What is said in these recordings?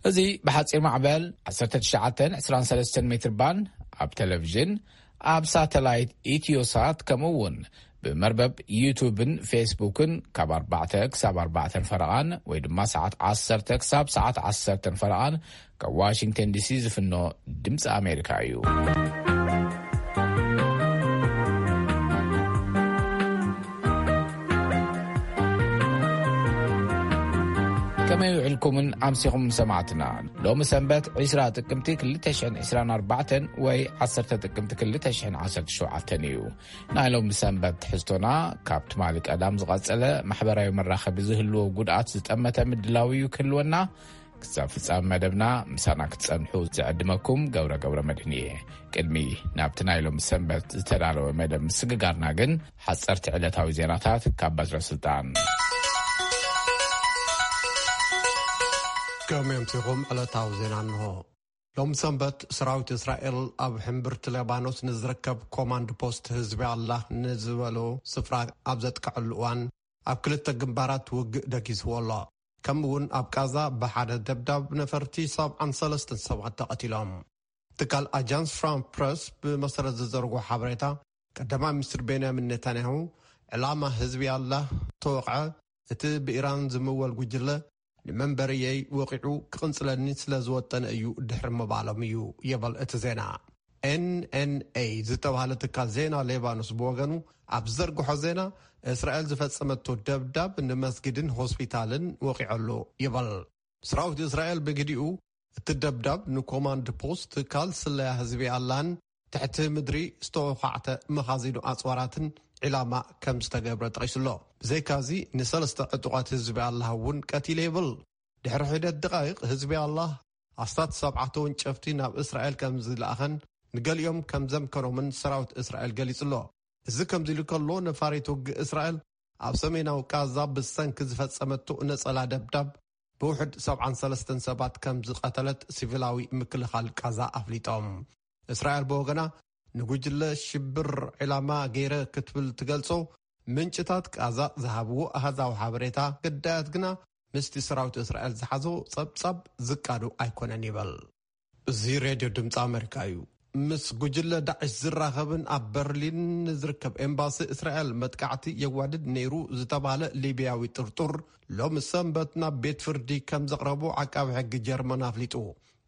እዚ ብሓጺር ማዕበል ዓሰርተ ትሽዓተ ዕስራን ሰለስተን ሜትር ባንድ ኣብ ቴሌቪዥን፣ ኣብ ሳተላይት ኢትዮሳት፣ ከምኡ እውን ብመርበብ ዩቱብን ፌስቡክን ካብ ኣርባዕተ ክሳብ ኣርባዕተን ፈረቓን ወይ ድማ ሰዓት ዓሰርተ ክሳብ ሰዓት ዓሰርተን ፈረቓን ካብ ዋሽንግተን ዲሲ ዝፍኖ ድምፂ ኣሜሪካ እዩ። ከመይ ውዕልኩምን ኣምሲኹም ሰማዕትና? ሎሚ ሰንበት ዕስራ ጥቅምቲ ክልተ ሽሕን ዕስራን ኣርባዕተን ወይ ዓሰርተ ጥቅምቲ ክልተ ሽሕን ዓሰርተ ሸውዓተን እዩ። ናይ ሎሚ ሰንበት ትሕዝቶና ካብ ትማሊ ቀዳም ዝቐጸለ ማሕበራዊ መራኸቢ ዝህልዎ ጉድኣት ዝጠመተ ምድላው እዩ ክህልወና። ክሳብ ፍጻመ መደብና ምሳና ክትጸንሑ ዝዕድመኩም ገብረ ገብረ መድህን እየ። ቅድሚ ናብቲ ናይ ሎሚ ሰንበት ዝተዳለወ መደብ ምስግጋርና ግን ሓጸርቲ ዕለታዊ ዜናታት ካብ በትረ ስልጣን። ከመይ ኣምሲኹም ዕለታዊ ዜና እንሆ። ሎም ሰንበት ሰራዊት እስራኤል ኣብ ሕምብርቲ ሌባኖስ ንዝርከብ ኮማንድ ፖስት ህዝቢ ኣላህ ንዝበሎ ስፍራ ኣብ ዘጥቅዐሉ እዋን ኣብ ክልተ ግንባራት ውግእ ደጊስዎ ኣሎ። ከምኡ እውን ኣብ ቃዛ ብሓደ ደብዳብ ነፈርቲ ሰብዓን ሰለስተን ሰባት ተቐቲሎም። ትካል ኣጃንስ ፍራንስ ፕረስ ብመሰረት ዝዘርጎ ሓበሬታ፣ ቀዳማይ ሚኒስትር ቤንያሚን ኔታንያሁ፣ ዕላማ ህዝቢ ኣላህ ተወቕዐ፣ እቲ ብኢራን ዝምወል ጉጅለ ንመንበርየይ ወቒዑ ክቕንጽለኒ ስለ ዝወጠነ እዩ ድሕሪ ምባሎም እዩ ይብል እቲ ዜና። ኤንኤንኤ ዝተባህለ ትካል ዜና ሌባኖስ ብወገኑ ኣብ ዝዘርግሖ ዜና፣ እስራኤል ዝፈጸመቶ ደብዳብ ንመስጊድን ሆስፒታልን ወቒዐሉ ይብል። ሰራዊት እስራኤል ብግዲኡ፣ እቲ ደብዳብ ንኮማንድ ፖስት ትካል ስለያ ህዝቢ ኣላን ትሕቲ ምድሪ ዝተወኻዕተ መኻዚኖ ኣጽዋራትን ዒላማ ከም ዝተገብረ ጠቒሱሎ። ብዘይካዚ ንሰለስተ ዕጡቓት ህዝቢ ኣላህ እውን ቀቲለ ይብል። ድሕሪ ሒደት ደቓይቕ ህዝቢ ኣላህ ኣስታት ሰብዓ ተወንጨፍቲ ናብ እስራኤል ከም ዝለኣኸን ንገሊኦም ከም ዘምከኖምን ሰራዊት እስራኤል ገሊጹ ኣሎ። እዚ ከምዚ ኢሉ ከሎ፣ ነፋሪት ውግእ እስራኤል ኣብ ሰሜናዊ ቃዛ ብሰንኪ ዝፈጸመቶ ነጸላ ደብዳብ ብውሕድ ሰብዓን ሰለስተን ሰባት ከም ዝቐተለት ሲቪላዊ ምክልኻል ቃዛ ኣፍሊጦም። እስራኤል ብወገና፣ ንጉጅለ ሽብር ዒላማ ገይረ ክትብል ትገልጾ፣ ምንጭታት ቃዛ ዝሃብዎ ኣሃዛዊ ሓበሬታ፣ ግዳያት ግና ምስቲ ሰራዊት እስራኤል ዝሓዞ ጸብጻብ ዝቃዶ ኣይኮነን ይበል። እዚ ሬድዮ ድምፂ ኣሜሪካ እዩ። ምስ ጉጅለ ዳዕሽ ዝራኸብን ኣብ በርሊን ንዝርከብ ኤምባሲ እስራኤል መጥቃዕቲ የዋድድ ነይሩ ዝተባህለ ሊብያዊ ጥርጡር፣ ሎም ሰንበት ናብ ቤት ፍርዲ ከም ዘቕረቡ ዓቃቢ ሕጊ ጀርመን ኣፍሊጡ።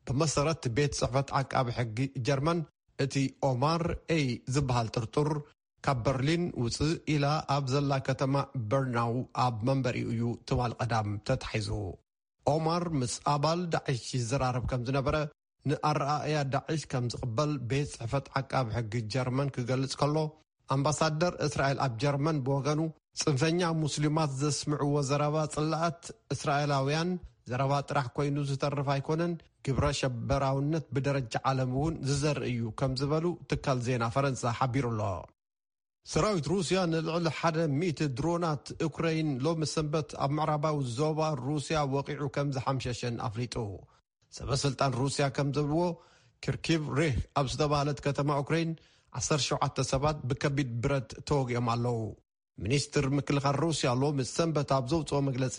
ብመሰረት ቤት ጽሕፈት ዓቃቢ ሕጊ ጀርመን፣ እቲ ኦማር ኤይ ዝበሃል ጥርጡር፣ ካብ በርሊን ውፅእ ኢላ ኣብ ዘላ ከተማ በርናው ኣብ መንበሪኡ እዩ ትማል ቀዳም ተታሒዙ። ኦማር ምስ ኣባል ዳዕሽ ይዘራረብ ከም ዝነበረ፣ ንኣረኣእያ ዳዕሽ ከም ዝቕበል ቤት ጽሕፈት ዓቃቢ ሕጊ ጀርመን ክገልጽ ከሎ፣ ኣምባሳደር እስራኤል ኣብ ጀርመን ብወገኑ፣ ጽንፈኛ ሙስሊማት ዘስምዕዎ ዘረባ ጽላኣት እስራኤላውያን ዘረባ ጥራሕ ኮይኑ ዝተርፍ ኣይኮነን፣ ግብረ ሸበራውነት ብደረጃ ዓለም እውን ዝዘርእ እዩ ከም ዝበሉ ትካል ዜና ፈረንሳ ሓቢሩ ኣሎ። ሰራዊት ሩስያ ንልዕሊ ሓደ ሚእቲ ድሮናት ዩክረይን ሎሚ ሰንበት ኣብ ምዕራባዊ ዞባ ሩስያ ወቒዑ ከም ዝሓምሸሸን ኣፍሊጡ። ሰበ ስልጣን ሩስያ ከም ዘብልዎ፣ ኪርኪቭ ሬህ ኣብ ዝተባህለት ከተማ ዩክረይን ዓሰርተ ሸውዓተ ሰባት ብከቢድ ብረት ተወጊኦም ኣለዉ። ሚኒስትር ምክልኻል ሩስያ ሎሚ ሰንበት ኣብ ዘውፅኦ መግለፂ፣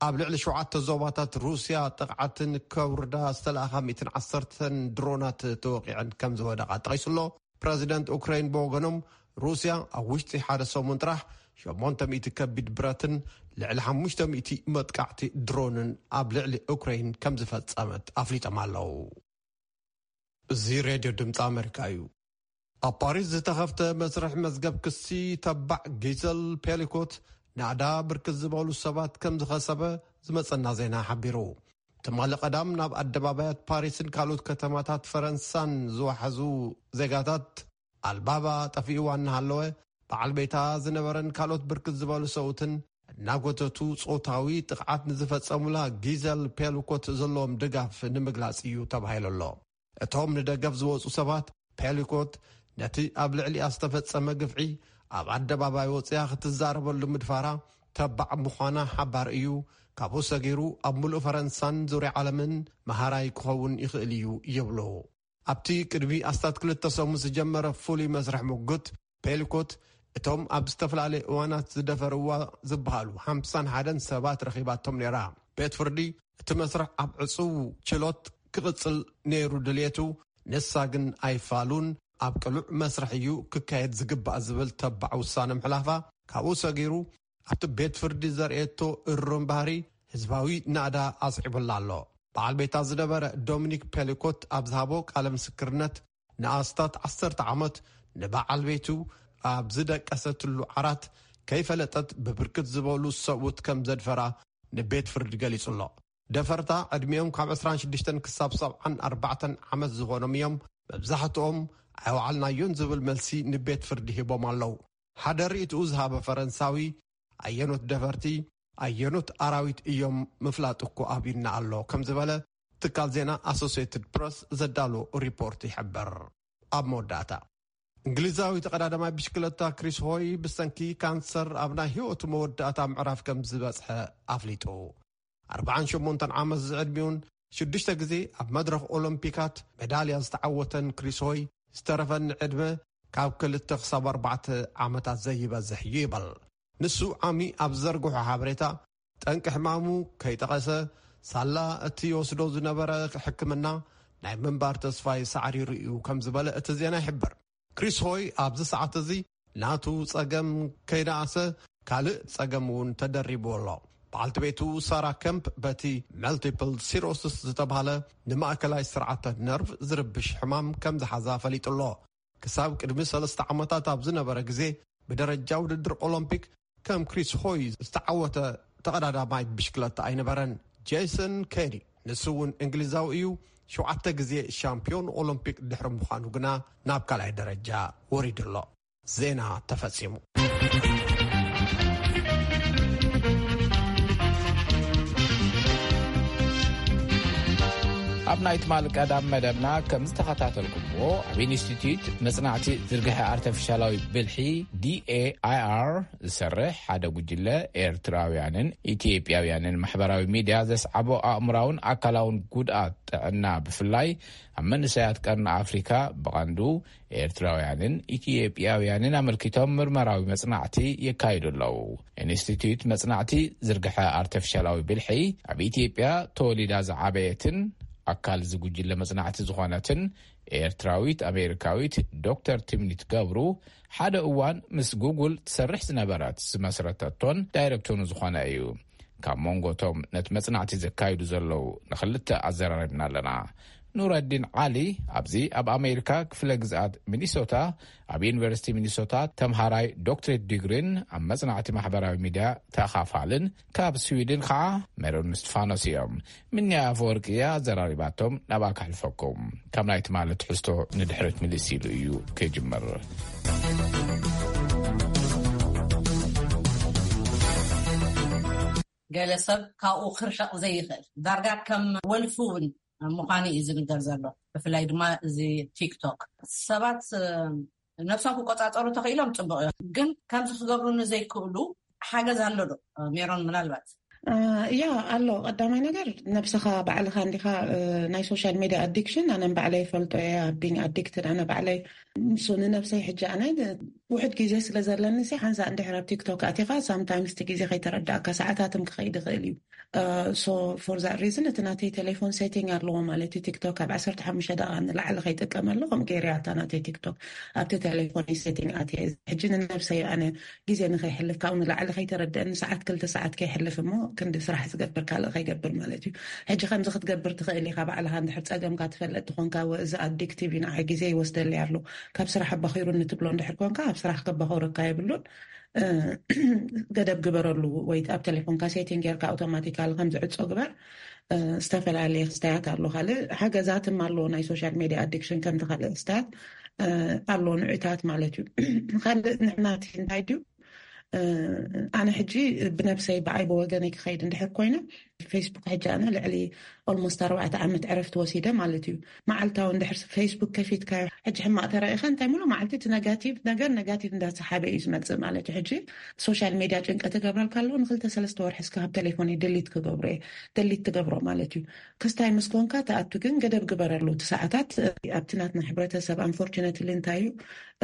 ኣብ ልዕሊ ሸውዓተ ዞባታት ሩስያ ጥቕዓትን ከውርዳ ዝተለኣኻ ሚእትን ዓሰርተን ድሮናት ተወቂዐን ከም ዝወደቓ ጠቒሱ ኣሎ። ፕረዚደንት ኡክራይን ብወገኖም፣ ሩስያ ኣብ ውሽጢ ሓደ ሰሙን ጥራሕ ሸሞንተ ሚእቲ ከቢድ ብረትን ልዕሊ ሓሙሽተ ሚእቲ መጥቃዕቲ ድሮንን ኣብ ልዕሊ ኡክራይን ከም ዝፈጸመት ኣፍሊጦም ኣለዉ። እዚ ሬድዮ ድምፂ ኣሜሪካ እዩ። ኣብ ፓሪስ ዝተኸፍተ መስርሕ መዝገብ ክሲ፣ ተባዕ ጊዘል ፔሊኮት ናዕዳ ብርክት ዝበሉ ሰባት ከም ዝኸሰበ ዝመጸና ዜና ሓቢሩ። ትማሊ ቀዳም ናብ ኣደባባያት ፓሪስን ካልኦት ከተማታት ፈረንሳን ዝዋሕዙ ዜጋታት፣ ኣልባባ ጠፊእዋ እናሃለወ፣ በዓል ቤታ ዝነበረን ካልኦት ብርክት ዝበሉ ሰብኡትን እናጎተቱ ጾታዊ ጥቕዓት ንዝፈጸሙላ ጊዘል ፔሊኮት ዘለዎም ድጋፍ ንምግላጽ እዩ ተባሂሉ ኣሎ። እቶም ንደገፍ ዝወጹ ሰባት፣ ፔሊኮት ነቲ ኣብ ልዕሊኣ ዝተፈጸመ ግፍዒ ኣብ ኣደባባይ ወጺኣ ክትዛረበሉ ምድፋራ ተባዕ ምዃና ሓባር እዩ፣ ካብኡ ሰጊሩ ኣብ ምሉእ ፈረንሳን ዙርያ ዓለምን መሃራይ ክኸውን ይኽእል እዩ ይብሉ። ኣብቲ ቅድሚ ኣስታት ክልተ ሰሙን ዝጀመረ ፍሉይ መስርሕ ምጉት፣ ፔሊኮት እቶም ኣብ ዝተፈላለየ እዋናት ዝደፈርዋ ዝበሃሉ ሓምሳን ሓደን ሰባት ረኺባቶም ነይራ። ቤት ፍርዲ እቲ መስርሕ ኣብ ዕጹው ችሎት ክቕጽል ነይሩ ድልየቱ፣ ንሳ ግን ኣይፋሉን፣ ኣብ ቅሉዕ መስርሕ እዩ ክካየድ ዝግባእ ዝብል ተባዕ ውሳነ ምሕላፋ፣ ካብኡ ሰጊሩ ኣብቲ ቤት ፍርዲ ዘርእየቶ እሩም ባህሪ ህዝባዊ ናእዳ ኣስዒቡላ ኣሎ። በዓል ቤታ ዝነበረ ዶሚኒክ ፔሊኮት ኣብ ዝሃቦ ቃለ ምስክርነት፣ ንኣስታት ዓሰርተ ዓመት ንበዓል ቤቱ ኣብ ዝደቀሰትሉ ዓራት ከይፈለጠት ብብርክት ዝበሉ ሰብኡት ከም ዘድፈራ ንቤት ፍርዲ ገሊጹ ኣሎ። ደፈርታ ዕድሚኦም ካብ ዕስራን ሽዱሽተን ክሳብ ሰብዓን ኣርባዕተን ዓመት ዝኾኖም እዮም። መብዛሕትኦም ኣይወዓልናዮን ዝብል መልሲ ንቤት ፍርዲ ሂቦም ኣለዉ። ሓደ ርእይትኡ ዝሃበ ፈረንሳዊ፣ ኣየኖት ደፈርቲ፣ ኣየኖት ኣራዊት እዮም ምፍላጥ እኮ ኣብዩና ኣሎ፣ ከም ዝበለ ትካል ዜና ኣሶሲየትድ ፕረስ ዘዳሎ ሪፖርት ይሕብር። ኣብ መወዳእታ፣ እንግሊዛዊ ተቐዳዳማይ ብሽክለታ ክሪስ ሆይ ብሰንኪ ካንሰር ኣብ ናይ ህይወቱ መወዳእታ ምዕራፍ ከም ዝበጽሐ ኣፍሊጡ። ኣርባዓን ሸሞንተን ዓመት ዝዕድሚኡን ሽዱሽተ ግዜ ኣብ መድረኽ ኦሎምፒካት ሜዳልያ ዝተዓወተን ክሪስ ሆይ፣ ዝተረፈኒ ዕድመ ካብ ክልተ ክሳብ ኣርባዕተ ዓመታት ዘይበዝሕ እዩ ይበል። ንሱ ዓሚ ኣብ ዘርግሖ ሓበሬታ፣ ጠንቂ ሕማሙ ከይጠቐሰ፣ ሳላ እቲ ይወስዶ ዝነበረ ሕክምና ናይ ምንባር ተስፋይ ሳዕሪሩ እዩ ከም ዝበለ እቲ ዜና ይሕብር። ክሪስ ሆይ ኣብዚ ሰዓት እዚ ናቱ ጸገም ከይነኣሰ፣ ካልእ ጸገም እውን ተደሪቡ ኣሎ። በዓልቲ ቤቱ ሳራ ከምፕ በቲ መልቲፕል ሲሮሲስ ዝተባህለ ንማእከላይ ስርዓተ ነርቭ ዝርብሽ ሕማም ከም ዝሓዛ ፈሊጡ ኣሎ። ክሳብ ቅድሚ ሰለስተ ዓመታት ኣብ ዝነበረ ግዜ፣ ብደረጃ ውድድር ኦሎምፒክ ከም ክሪስ ሆይ ዝተዓወተ ተቐዳዳማይ ብሽክለታ ኣይነበረን። ጄሰን ኬዲ፣ ንሱ እውን እንግሊዛዊ እዩ፣ ሸውዓተ ግዜ ሻምፒዮን ኦሎምፒክ ድሕሪ ምዃኑ ግና ናብ ካልኣይ ደረጃ ወሪዱ ኣሎ። ዜና ተፈጺሙ። ኣብ ናይ ትማሊ ቀዳም መደብና ከም ዝተኸታተልኩምዎ፣ ኣብ ኢንስቲትዩት መጽናዕቲ ዝርግሐ ኣርተፊሻላዊ ብልሒ፣ ዲኤኣይኣር፣ ዝሰርሕ ሓደ ጉጅለ ኤርትራውያንን ኢትዮጵያውያንን ማሕበራዊ ሚድያ ዘስዓቦ ኣእምራውን ኣካላውን ጉድኣት ጥዕና፣ ብፍላይ ኣብ መንእሰያት ቀርኒ ኣፍሪካ፣ ብቐንዱ ኤርትራውያንን ኢትዮጵያውያንን ኣመልኪቶም ምርመራዊ መጽናዕቲ የካይዱ ኣለዉ። ኢንስቲትዩት መጽናዕቲ ዝርግሐ ኣርተፊሻላዊ ብልሒ፣ ኣብ ኢትዮጵያ ተወሊዳ ዝዓበየትን ኣካል እዚ ጉጅለ መጽናዕቲ ዝኾነትን ኤርትራዊት ኣሜሪካዊት ዶክተር ትምኒት ገብሩ፣ ሓደ እዋን ምስ ጉግል ትሰርሕ ዝነበረት፣ ዝመስረተቶን ዳይረክቶኑ ዝኾነ እዩ። ካብ መንጎቶም ነቲ መጽናዕቲ ዘካይዱ ዘለዉ ንኽልተ ኣዘራሪብና ኣለና። ኑረዲን ዓሊ፣ ኣብዚ ኣብ ኣሜሪካ ክፍለ ግዝኣት ሚኒሶታ፣ ኣብ ዩኒቨርሲቲ ሚኒሶታ ተምሃራይ ዶክትሬት ዲግሪን ኣብ መጽናዕቲ ማሕበራዊ ሚድያ ተኻፋልን፣ ካብ ስዊድን ከዓ ሜሮን እስቲፋኖስ እዮም። ምንያ ኣፈወርቂ እያ ኣዘራሪባቶም፣ ናብኣ ከሕልፈኩም። ካብ ናይ ትማሊ ትሕዝቶ ንድሕሪት ምልስ ኢሉ እዩ ክጅምር። ገለ ሰብ ካብኡ ክርሕቕ ዘይኽእል፣ ዳርጋ ከም ወልፊ እውን ምዃኑ እዩ ዝንገር ዘሎ። ብፍላይ ድማ እዚ ቲክቶክ፣ ሰባት፣ እ፣ ነብሶም ክቆጻጸሩ ተኽኢሎም ጽቡቕ እዮም፣ ግን ከምዚ ክገብሩ ንዘይክእሉ ሓገዝ ኣሎ ዶ? ሜሮን፣ ምናልባት። እ፣ ያ፣ ኣሎ። ቀዳማይ ነገር፣ ነብስኻ ባዕልኻ እንዲኻ፣ እ፣ ናይ ሶሻል ሜድያ ኣዲክሽን ኣነ ባዕለይ ይፈልጦ እየ። ኣብ ቢንግ ኣዲክትድ ኣነ ባዕለይ፣ ንሱ ንነብሰይ ሕጂ ኣነ ውሕድ ግዜ ስለ ዘለኒ ሲ ሓንሳእ እንድሕር ኣብ ቲክቶክ ኣቲኻ፣ ሳምታይምስ እቲ ግዜ ከይተረዳእካ ሰዓታትም ክኸይድ ይኽእል እዩ። ሶ ፎር ዛት ሪዝን እቲ ናተይ ቴሌፎን ሴቲንግ ኣለዎ ማለት እዩ። ቲክቶክ ካብ ዓሰርተ ሓሙሽተ ደቂቃ ንላዕሊ ከይጥቀመሉ ከም ገይረያ እታ ናተይ ቲክቶክ ኣብቲ ቴሌፎን ሴቲንግ ኣትየ። ሕጂ ንነብሰይ ኣነ ግዜ ንኸይሕልፍ ካብኡ ንላዕሊ ከይተረድአኒ ሰዓት ክልተ ሰዓት ከይሕልፍ እሞ ክንዲ ስራሕ ዝገብር ካልእ ከይገብር ማለት እዩ። ሕጂ ከምዚ ክትገብር ትኽእል ኢኻ ባዕልኻ እንድሕር ጸገምካ ትፈልጥ ትኾንካ፣ ወ-፣ እዚ ኣዲክቲቭ እዩ ንዓይ ግዜ ይወስደለይ ኣሎ፣ ካብ ስራሕ ኣባኺሩኒ ትብሎ እንድሕር ኮንካ ኣብ ስራሕ ከባኸረካ የብሉን። እ፣ ገደብ ግበረሉ ወይ ኣብ ቴሌፎንካ ሴቲንግ ጌርካ ኣውቶማቲካሊ ከም ዝዕጾ ግበር። እ፣ ዝተፈላለየ ክስታያት ኣሎ። ካልእ ሓገዛትም ኣሎ ናይ ሶሻል ሜድያ ኣዲክሽን ከምቲ ካልእ ክስታያት፣ እ፣ ኣሎ ንዑታት ማለት እዩ። ካልእ ንሕና እቲ እንታይ ድዩ፣ እ፣ ኣነ ሕጂ ብነብሰይ ብዓይ ብወገነይ ክኸይድ እንድሕር ኮይነ ፌስቡክ ሕጂ ኣነ ልዕሊ ኦልሞስት ኣርባዕተ ዓመት ዕረፍቲ ወሲደ ማለት እዩ። መዓልታዊ እንድሕር ፌስቡክ ከፊትካዮ፣ ሕጂ ሕማቕ ተረኢኻ እንታይ ሙሉ መዓልቲ እቲ ነጋቲቭ ነገር ነጋቲቭ እንዳሰሓበ እዩ ዝመጽእ ማለት እዩ። ሕጂ ሶሻል ሜድያ ጭንቀት ይገብረልካ ኣለዎ። ንክልተ ሰለስተ ወርሒ እስከ ካብ ቴሌፎን ድሊት ክገብሮ እየ፣ ድሊት ትገብሮ ማለት እዩ። ክስታይ ምስ ኮንካ ትኣቱ፣ ግን ገደብ ግበረሉ። እቲ ሰዓታት ኣብቲ ናትና ሕብረተሰብ ኣንፎርቹነትሊ እንታይ እዩ፣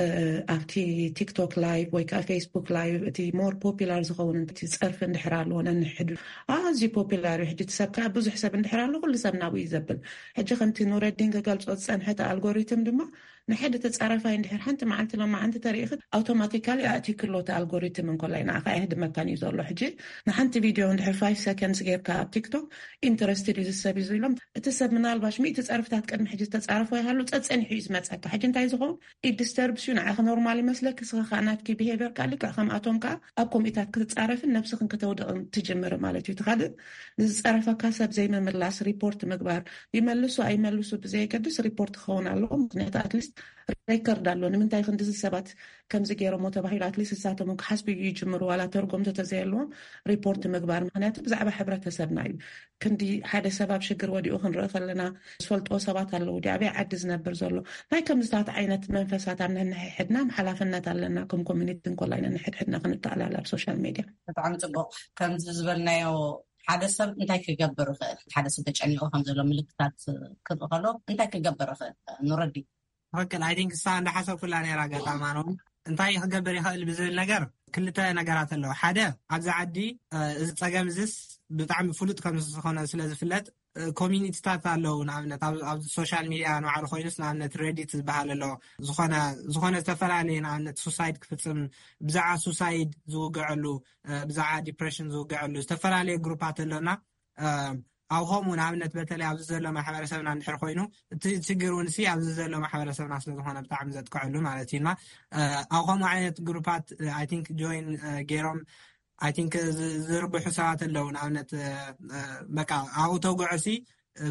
እ፣ ኣብቲ ቲክቶክ ላይቭ ወይ ከዓ ፌስቡክ ላይቭ እቲ ሞር ፖፒላር ዝኸውን እቲ ጸርፊ እንድሕር ኣለዎ ነንሕዱ ኣዝዩ ፖፒላር ተጋሪ ሕጂ እቲ ሰብ ከዓ ብዙሕ ሰብ እንድሕር ኣሎ ኩሉ ሰብ ናብኡ እዩ ዘብል። ሕጂ ከምቲ ኑረዲን ክገልጾ ዝጸንሐ እቲ ኣልጎሪትም ድማ ንሕድ ተጻራፋይ እንድሕር ሓንቲ መዓልቲ ሎማዓንቲ ተሪኢኺ ኣውቶማቲካሊ ኣእቲክሎ እቲ ኣልጎሪትም እንኮላይ ንዓኻ ኣይህድመካን እዩ ዘሎ። ሕጂ ንሓንቲ ቪድዮ እንድሕር ፋይቭ ሰከንድስ ጌርካ ኣብ ቲክቶክ ኢንተረስትድ እዩ ዝሰብ እዩ ኢሎም እቲ ሰብ ምናልባሽ ሚእቲ ጸርፍታት ቅድሚ ሕጂ ዝተጻረፎ ይሃሉ ጸጸኒሑ እዩ ዝመጸካ። ሕጂ እንታይ ዝኸውን ኢት ዲስተርብስ ዩ ንዓኺ ኖርማል ይመስለኪ። ስኻ ከዓ ናትኪ ቢሄቨር ከዓ ልክዕ ከምኣቶም ከዓ ኣብ ኮምኢታት ክትጻረፍን ነብስኽን ከተውድቕን ትጅምር ማለት እዩ። እቲ ካልእ ንዝጸረፈካ ሰብ ዘይምምላስ ሪፖርት ምግባር ይመልሱ ኣይመልሱ ብዘየገድስ ሪፖርት ክኸውን ኣለዎ። ምክንያቱ ኣትሊስት ሬከርድ ኣሎ። ንምንታይ ክንድዚ ሰባት ከምዚ ገይሮሞ ተባሂሉ ኣትሊስት እሳቶም ክሓስቡ ይጅምሩ ዋላ ተርጎም ተተዘየለዎም ሪፖርት ምግባር። ምክንያቱ ብዛዕባ ሕብረተሰብና እዩ። ክንዲ ሓደ ሰብ ኣብ ሽግር ወዲኡ ክንርኢ ከለና ዝፈልጥዎ ሰባት ኣለዉ። ዲ ኣበይ ዓዲ ዝነብር ዘሎ ናይ ከምዚታት ዓይነት መንፈሳት ኣብ ነንሕድና ሓላፍነት ኣለና። ከም ኮሚኒቲ እንኮላይ ነንሕድሕድና ክንተኣላለ ኣብ ሶሻል ሜድያ። ብጣዕሚ ጽቡቕ። ከምዚ ዝበልናዮ ሓደ ሰብ እንታይ ክገብር ይኽእል? ሓደ ሰብ ተጨኒቑ ከም ዘሎ ምልክታት ክርኢ ከሎ እንታይ ክገብር ይኽእል? ንረዲ ትክክል። ኣይ ቲንክ እሳ እንዳሓሰብኩላ ነራ ኣጋጣማ ነው እንታይ ክገብር ይኽእል ብዝብል ነገር ክልተ ነገራት ኣለዉ። ሓደ ኣብዚ ዓዲ እዚ ጸገም እዚስ ብጣዕሚ ፍሉጥ ከም ዝኾነ ስለ ዝፍለጥ ኮሚኒቲታት ኣለዉ። ንኣብነት ኣብ ሶሻል ሚድያ ንባዕሉ ኮይኑስ ንኣብነት ሬዲት ዝበሃል ኣሎ። ዝኾነ ዝኾነ ዝተፈላለየ ንኣብነት ሱሳይድ ክፍጽም ብዛዕባ ሱሳይድ ዝውግዐሉ ብዛዕባ ዲፕሬሽን ዝውግዐሉ ዝተፈላለየ ግሩፓት ኣሎና። ኣብ ከምኡ ንኣብነት በተለይ ኣብዚ ዘሎ ማሕበረሰብና እንድሕር ኮይኑ እቲ ችግር እውን ሲ ኣብዚ ዘሎ ማሕበረሰብና ስለዝኾነ ብጣዕሚ ዘጥቅዐሉ ማለት እዩ። ኣብ ከምኡ ዓይነት ግሩፓት ኣይ ቲንክ ጆይን ገይሮም ኣይ ቲንክ ዝርብሑ ሰባት ኣለዉ። ንኣብነት በቃ ኣብኡ ተውግዖ ሲ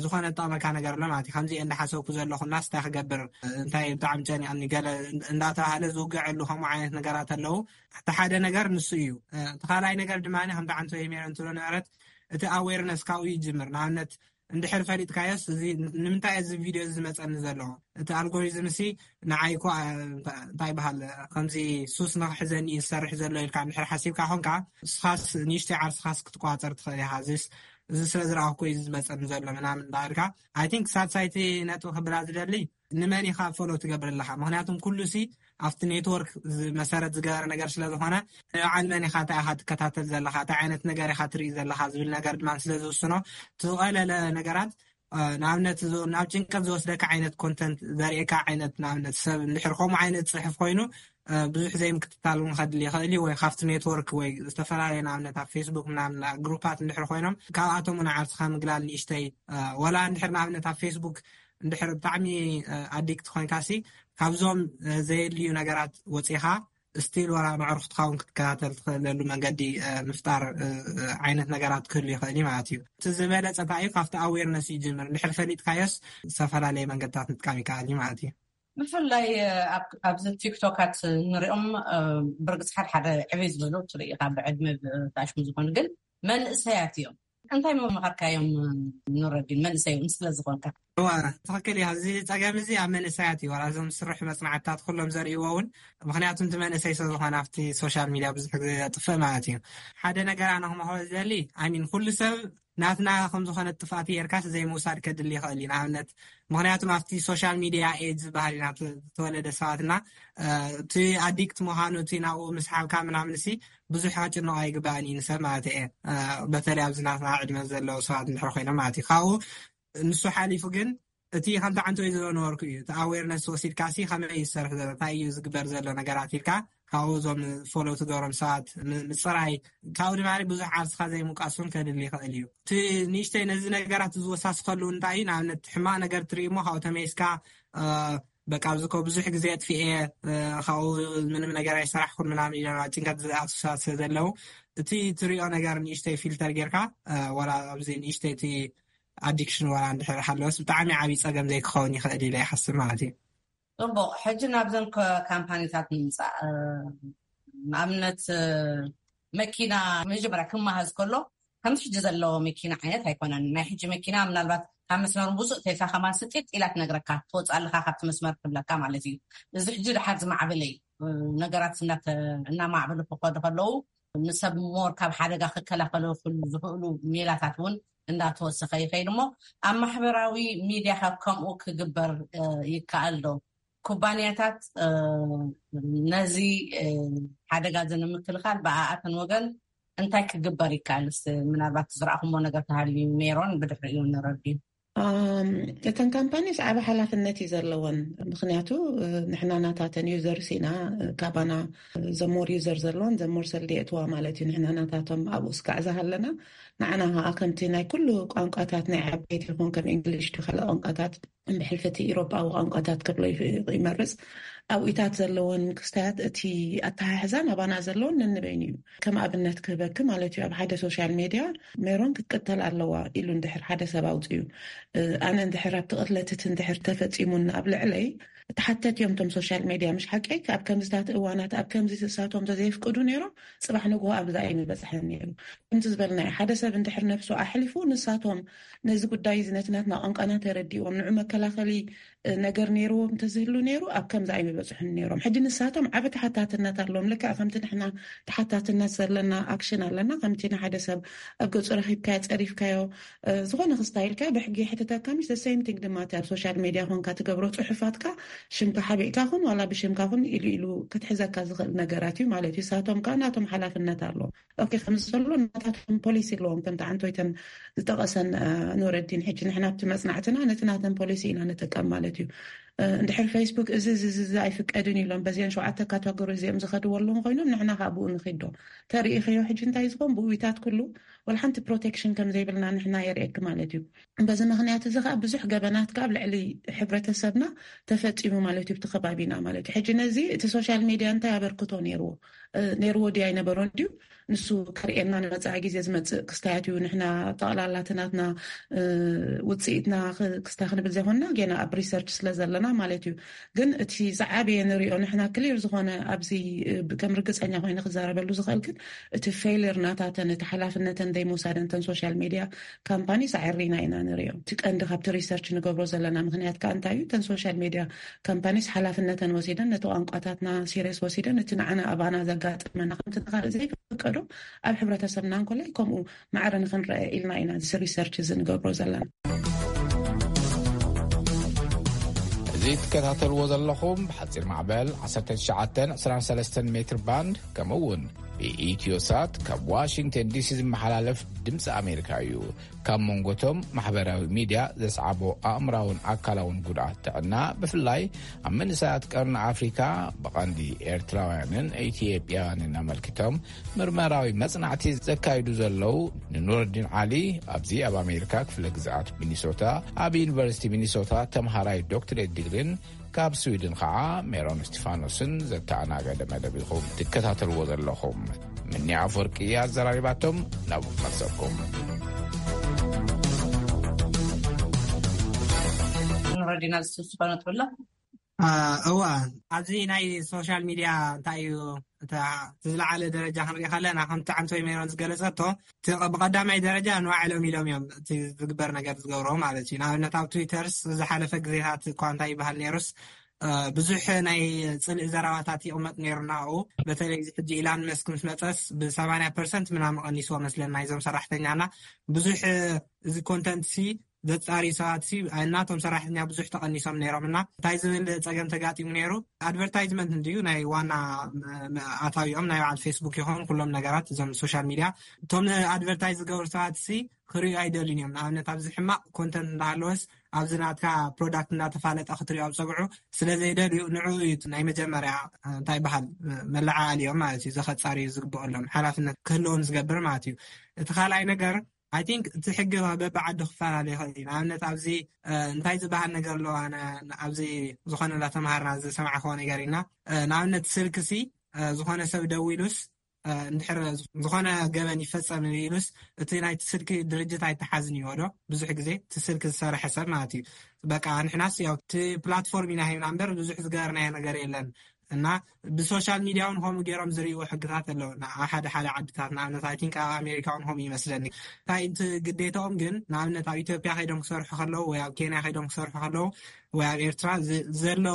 ዝኾነ ጠቕመካ ነገር ኣሎ ማለት እዩ። ከምዚ እንዳሓሰብኩ ዘለኹ እናስ እንታይ ክገብር እንታይ ብጣዕሚ ጨኒቐኒ ገለ እንዳተባሃለ ዝውግዐሉ ከምኡ ዓይነት ነገራት ኣለዉ። እቲ ሓደ ነገር ንሱ እዩ። እቲ ካልኣይ ነገር ድማ ከምቲ ዓንቶ የሜረ እንትብሎ ነበረት እቲ ኣዌርነስ ካብኡ ይጅምር። ንኣብነት እንድሕር ፈሊጥካዮስ እዚ ንምንታይ እዚ ቪድዮ እዚ ዝመፀኒ ዘሎ እቲ ኣልጎሪዝም ሲ ንዓይ እኮ እንታይ ይበሃል ከምዚ ሱስ ንክሕዘኒ እዩ ዝሰርሕ ዘሎ ኢልካ እንድሕር ሓሲብካ ኮንካ ንስኻስ ንእሽተይ ዓርስኻስ ክትቋፀር ትኽእል ኢኻ። እዚ ስለ ዝረኣኩ እዩ ዝመፀኒ ዘሎ ምናምን እንዳበልካ ኣይ ቲንክ ሳልሳይቲ ነጥቢ ክብላ ዝደሊ ንመን ኢኻ ፎሎ ትገብር ኣለኻ? ምክንያቱም ኩሉ ሲ ኣብቲ ኔትወርክ መሰረት ዝገበረ ነገር ስለዝኾነ ንበዓል መን ኢኻ እንታይ ኢኻ ትከታተል ዘለኻ እንታይ ዓይነት ነገር ኢኻ ትርኢ ዘለኻ ዝብል ነገር ድማ ስለዝውስኖ ትቐለለ ነገራት ንኣብነት ናብ ጭንቀት ዝወስደካ ዓይነት ኮንተንት ዘርእካ ዓይነት ንኣብነት ሰብ እንድሕር ከምኡ ዓይነት ፅሕፍ ኮይኑ ብዙሕ ዘይምክትታል እውን ከድሊ ይኽእል እዩ። ወይ ካብቲ ኔትወርክ ወይ ዝተፈላለዩ ንኣብነት ኣብ ፌስቡክ ምናምን ግሩፓት እንድሕር ኮይኖም ካብኣቶም ንዓርስኻ ምግላል ንእሽተይ ወላ እንድሕር ንኣብነት ኣብ ፌስቡክ እንድሕር ብጣዕሚ ኣዲክት ኮይንካ ሲ ካብዞም ዘየድልዩ ነገራት ወፂኻ ስቲል ወላ መዕርኩትካ እውን ክትከታተል ትኽእለሉ መንገዲ ምፍጣር ዓይነት ነገራት ክህሉ ይኽእል እዩ ማለት እዩ። እቲ ዝበለፀ እንታይ እዩ ካብቲ ኣዌርነስ ይጅምር እንድሕር ፈሊጥካዮስ ዝተፈላለየ መንገድታት ምጥቃም ይከኣል እዩ ማለት እዩ። ብፍላይ ኣብዚ ቲክቶካት ንሪኦም ብርግፅ ሓደ ሓደ ዕብይ ዝበሉ ትርኢ ኢኻ ብዕድመ ብታሽሙ ዝኾኑ ግን መንእሰያት እዮም። እንታይ መመኸርካዮም? ንረዲን መንእሰይ እውን ስለዝኾንካ ትኽክል እዩ። እዚ ፀገም እዚ ኣብ መንእሰያት እዩ ዋላ እዞም ዝስርሑ መፅናዕትታት ኩሎም ዘርእይዎ እውን ምክንያቱ እቲ መንእሰይ ስለዝኾነ ኣብቲ ሶሻል ሚድያ ብዙሕ ግዜ ዘጥፍእ ማለት እዩ። ሓደ ነገር ኣነ ክመክሮ ዝደሊ ኣይ ሚን ኩሉ ሰብ ናትና ከም ዝኾነ ጥፋት ጌርካስ ዘይምውሳድ ከድሊ ይኽእል እዩ። ንኣብነት ምክንያቱም ኣብቲ ሶሻል ሚድያ ኤጅ ዝበሃል ኢና ተወለደ ሰባትና እቲ ኣዲክት ምዃኑ እቲ ናብኡ ምስሓብካ ምናምን ሲ ብዙሕ ከጭንቆ ኣይግባእን እዩ ንሰብ ማለት እየ። በተለይ ኣብዚ ናትና ዕድመ ዘለዉ ሰባት እንድሕር ኮይኖም ማለት እዩ ካብኡ ንሱ ሓሊፉ ግን እቲ ከምቲ ዓንቶ ዝብሎ ነበርኩ እዩ እቲ ኣዌርነስ ወሲድካ ሲ ከመይ ይሰርሕ ዘሎ እንታይ እዩ ዝግበር ዘሎ ነገራት ኢልካ ካብኡ እዞም ፎሎ ትገብሮም ሰባት ምፅራይ ካብኡ ድማ ብዙሕ ዓርስካ ዘይምውቃስ እውን ከድሊ ይኽእል እዩ። እቲ ንእሽተይ ነዚ ነገራት ዝወሳስከሉ እንታይ እዩ ንኣብነት ሕማቅ ነገር ትርኢ እሞ ካብኡ ተመይስካ በቃ ኣብዚ እኮ ብዙሕ ግዜ ኣጥፊኤ ካብኡ ምንም ነገር ኣይሰራሕኩን ምናምን ኢሎም ኣብ ጭንቀት ዝኣቱ ሰባት ስለ ዘለዉ እቲ ትሪኦ ነገር ንእሽተይ ፊልተር ጌርካ ዋላ ኣብዚ ንእሽተይ እቲ ኣዲክሽን ዋላ እንድሕር ሃለወስ ብጣዕሚ ዓብዪ ፀገም ዘይክኸውን ይኽእል ኢለ ይሓስብ ማለት እዩ። ፅቡቕ ሕጂ ናብዘን ካምፓኒታት ንምፃእ ንኣብነት መኪና መጀመርያ ክመሃዝ ከሎ ከምዚ ሕጂ ዘለዎ መኪና ዓይነት ኣይኮነን። ናይ ሕጂ መኪና ምናልባት ካብ መስመር ውፁእ ተይልካ ከማን ስጢጥ ኢላ ትነግረካ ትወፅእ ኣለካ ካብቲ መስመር ትብለካ ማለት እዩ። እዚ ሕጂ ድሓር ዝማዕበለ እዩ። ነገራት እናማዕበሉ ክኸዱ ከለዉ ንሰብ ሞር ካብ ሓደጋ ክከላኸሉ ዝኽእሉ ሜላታት እውን እንዳተወሰኸ ይኸይድ እሞ ኣብ ማሕበራዊ ሚድያ ካብ ከምኡ ክግበር ይከኣል ዶ? ኩባንያታት ነዚ ሓደጋ እዚ ንምክልኻል ብኣኣተን ወገን እንታይ ክግበር ይከኣልስ? ምናልባት ዝረኣኹሞ ነገር ተሃልዩ ሜሮን ብድሕሪኡ ንረድዩ። እተን ካምፓኒስ ዓብ ሓላፍነት እዩ ዘለወን። ምክንያቱ ንሕና ናታተን ዩዘርስ ኢና። ካባና ዘሞር ዩዘር ዘለዎን ዘሞር ሰልዲ የእትዋ ማለት እዩ። ንሕና ናታቶም ኣብኡ ስጋዕ ዝሃለና ንዓና ከዓ ከምቲ ናይ ኩሉ ቋንቋታት ናይ ዓበይቲ ይኹን ከም እንግሊሽ ካልእ ቋንቋታት ብሕልፈቲ ኢሮጳዊ ቋንቋታት ክብሎ ይመርፅ ኣብኢታት ዘለዎን ክስታያት እቲ ኣተሓሕዛ ናባና ዘለዎን ነንበይኑ እዩ። ከም ኣብነት ክህበኪ ማለት እዩ፣ ኣብ ሓደ ሶሻል ሜድያ ሜሮን ክትቅተል ኣለዋ ኢሉ እንድሕር ሓደ ሰብ ኣውፅዩ፣ ኣነ እንድሕር ኣብቲ ቅትለትት እንድሕር ተፈፂሙን ኣብ ልዕለይ ተሓተት እዮም እቶም ሶሻል ሜድያ። ምሽ ሓቀይ ኣብ ከምዝታት እዋናት ኣብ ከምዚ እሳቶም ተዘይፍቅዱ ነይሮም፣ ፅባሕ ንግሆ ኣብዛ እዩ ምበፅሐን ነይሩ። ከምቲ ዝበልና ሓደ ሰብ እንድሕር ነብሱ ኣሕሊፉ ንሳቶም ነዚ ጉዳይ እዚ ነቲ ናትና ቋንቋና ተረዲኦም ንዑ መከላኸሊ ነገር ነይርዎም እንተዝህሉ ነይሩ ኣብ ከምዚ ኣይምበፅሑን ነይሮም። ሕጂ ንሳቶም ዓብ ተሓታትነት ኣለዎም። ልክዕ ከምቲ ንሕና ተሓታትነት ዘለና ኣክሽን ኣለና፣ ከምቲ ንሓደ ሰብ ኣብ ገፁ ረኪብካዮ ፀሪፍካዮ ዝኾነ ክስታይልካ ብሕጊ ሕትተካ ምሽ ሰይምቲንግ ድማ ኣብ ሶሻል ሜድያ ኮንካ ትገብሮ ፅሑፋትካ ሽምካ ሓቢእካ ኹን ዋላ ብሽምካ ኹን ኢሉ ኢሉ ክትሕዘካ ዝኽእል ነገራት እዩ ማለት እዩ። ሳቶም ከዓ ናቶም ሓላፍነት ኣለዎም። ኦኬ ከም ዘሎ ናታቶም ፖሊሲ ኣለዎም። ከም ተዓንቶይተን ዝጠቐሰን ኑረዲን ሕጂ ንሕና ኣብቲ መፅናዕትና ነቲ ናተን ፖሊሲ ኢና ንጥቀም ማለት እዩ። እንድሕር ፌስቡክ እዚ እዚ እዚ ኣይፍቀድን ኢሎም በዚአን ሸውዓተ ካተጎሪ እዚኦም ዝኸድዎ ኣለዎም ኮይኖም ንሕና ካብ ብኡ ንኺዶ ተርእኸዮ ሕጂ እንታይ ዝኾን ብውይታት ኩሉ ወላ ሓንቲ ፕሮቴክሽን ከም ዘይብልና ንሕና የርእየኪ ማለት እዩ። በዚ ምክንያት እዚ ከዓ ብዙሕ ገበናት ከዓ ኣብ ልዕሊ ሕብረተሰብና ተፈፂሙ ማለት እዩ። ብቲ ከባቢና ማለት እዩ። ሕጂ ነዚ እቲ ሶሻል ሚድያ እንታይ ኣበርክቶ ነይርዎ ነይርዎ ድዩ ኣይነበሮን ድዩ ንሱ ከርእየና ንመፃኢ ግዜ ዝመፅእ ክስታያት እዩ። ንሕና ጠቕላላ እቲ ናትና ውፅኢትና ክስታ ክንብል ዘይኮንና ጌና ኣብ ሪሰርች ስለ ዘለና ማለት እዩ። ግን እቲ ዝዓበየ ንሪኦ ንሕና ክሊር ዝኾነ ኣብዚ ከም ርግፀኛ ኮይኑ ክዛረበሉ ዝኽእል ግን እቲ ፌይልር ናታተን እቲ ሓላፍነተን ዘይምውሳደን ተን ሶሻል ሚድያ ካምፓኒስ ኣዕሪና ኢና ንሪኦ። እቲ ቀንዲ ካብቲ ሪሰርች ንገብሮ ዘለና ምክንያት ከዓ እንታይ እዩ? ተን ሶሻል ሚድያ ካምፓኒስ ሓላፍነተን ወሲደን ነቲ ቋንቋታትና ሲሪየስ ወሲደን እቲ ንዓና ኣባና ዘጋጠመና ከምቲ ንካልእ ዘይፍቀዶ ኣብ ሕብረተሰብና እንኮላይ ከምኡ ማዕረ ንክንረአ ኢልና ኢና እዚ ሪሰርች እዚ ንገብሮ ዘለና። እዚ ትከታተልዎ ዘለኹም ብሓፂር ማዕበል ዓሰርተ ትሽዓተ ዕስራን ሰለስተን ሜትር ባንድ ከምኡ እውን ብኢትዮሳት ካብ ዋሽንግተን ዲሲ ዝመሓላለፍ ድምፂ ኣሜሪካ እዩ። ካብ መንጎቶም ማሕበራዊ ሚድያ ዘስዓቦ ኣእምራውን ኣካላውን ጉድኣት ጥዕና ብፍላይ ኣብ መንእሰያት ቀርኒ ኣፍሪካ ብቐንዲ ኤርትራውያንን ኢትዮጵያውያንን ኣመልኪቶም ምርመራዊ መጽናዕቲ ዘካይዱ ዘለዉ ንኑረዲን ዓሊ ኣብዚ ኣብ ኣሜሪካ ክፍለ ግዝኣት ሚኒሶታ ኣብ ዩኒቨርሲቲ ሚኒሶታ ተምሃራይ ዶክትሬት ዲግሪን ካብ ስዊድን ከዓ ሜሮን እስቲፋኖስን ዘተኣናገደ መደብ ኢኹም ትከታተልዎ ዘለኹም። ምኒ ኣፈወርቂ ኣዘራሪባቶም ናብ መርሰኩም። ንረዲና ዝስስኾ ነጥብሎ እዋ ኣብዚ ናይ ሶሻል ሚድያ እንታይ እዩ እቲ ዝለዓለ ደረጃ ክንሪኢ ከለና ከምቲ ዓንቶይ ሜሮን ዝገለፀቶ ብቀዳማይ ደረጃ ንባዕሎም ኢሎም እዮም እቲ ዝግበር ነገር ዝገብሮ ማለት እዩ። ንኣብነት ኣብ ትዊተርስ ዝሓለፈ ግዜታት እኳ እንታይ ይበሃል ነይሩስ ብዙሕ ናይ ፅልኢ ዘረባታት ይቕመጥ ነይሩ ናብኡ። በተለይ እዚ ሕጂ ኢላን መስክ ምስ መፀስ ብሰማንያ ፐርሰንት ምናምን ቀኒስዎ መስለና ናይዞም ሰራሕተኛና ብዙሕ እዚ ኮንተንት ሲ ዘፃሪ ሰባት ሲ እናቶም ሰራሕተኛ ብዙሕ ተቐኒሶም ነይሮም እና እንታይ ዝብል ፀገም ተጋጢሙ ነይሩ። ኣድቨርታይዝመንት እንድዩ ናይ ዋና ኣታዊኦም ናይ በዓል ፌስቡክ ይኹን ኩሎም ነገራት እዞም ሶሻል ሚድያ እቶም ኣድቨርታይዝ ዝገብሩ ሰባት ሲ ክርእዩ ኣይደልዩን እዮም። ንኣብነት ኣብዚ ሕማቕ ኮንተንት እንዳሃለወስ ኣብዚ ናትካ ፕሮዳክት እንዳተፋለጠ ክትሪኦ ኣብ ፀግዑ ስለ ዘይደልዩ ንዕኡ እዩ ናይ መጀመርያ እንታይ በሃል መለዓዓሊኦም ማለት እዩ። ዘኸፃርዩ ዝግብኦሎም ሓላፍነት ክህልዎም ዝገብር ማለት እዩ። እቲ ካልኣይ ነገር ኣይ ቲንክ እቲ ሕጊ በብዓዱ ክፈላለ ይኽእል እዩ። ንኣብነት ኣብዚ እንታይ ዝበሃል ነገር ኣለዎ? ኣነ ኣብዚ ዝኾነ እንዳተምሃርና ዝሰማዕክዎ ነገር ኢና። ንኣብነት ስልክሲ ዝኾነ ሰብ ደዊሉስ እንድሕር ዝኾነ ገበን ይፈፀም ኢሉስ እቲ ናይቲ ስልኪ ድርጅት ኣይተሓዝን ይዎ ዶ? ብዙሕ ግዜ እቲ ስልኪ ዝሰረሐ ሰብ ማለት እዩ። በቃ ንሕናስ ያው እቲ ፕላትፎርም ኢና ሂብና እምበር ብዙሕ ዝገበርናዮ ነገር የለን። እና ብሶሻል ሚድያ እውን ከምኡ ገይሮም ዝርእይዎ ሕግታት ኣለዉ። ኣብ ሓደ ሓደ ዓድታት ንኣብነት ኣይ ቲንክ ኣብ ኣሜሪካ እውን ከምኡ ይመስለኒ። እንታይ እቲ ግዴታኦም ግን ንኣብነት ኣብ ኢትዮጵያ ከይዶም ክሰርሑ ከለዉ ወይ ኣብ ኬንያ ከይዶም ክሰርሑ ከለዉ ወይ ኣብ ኤርትራ ዘሎ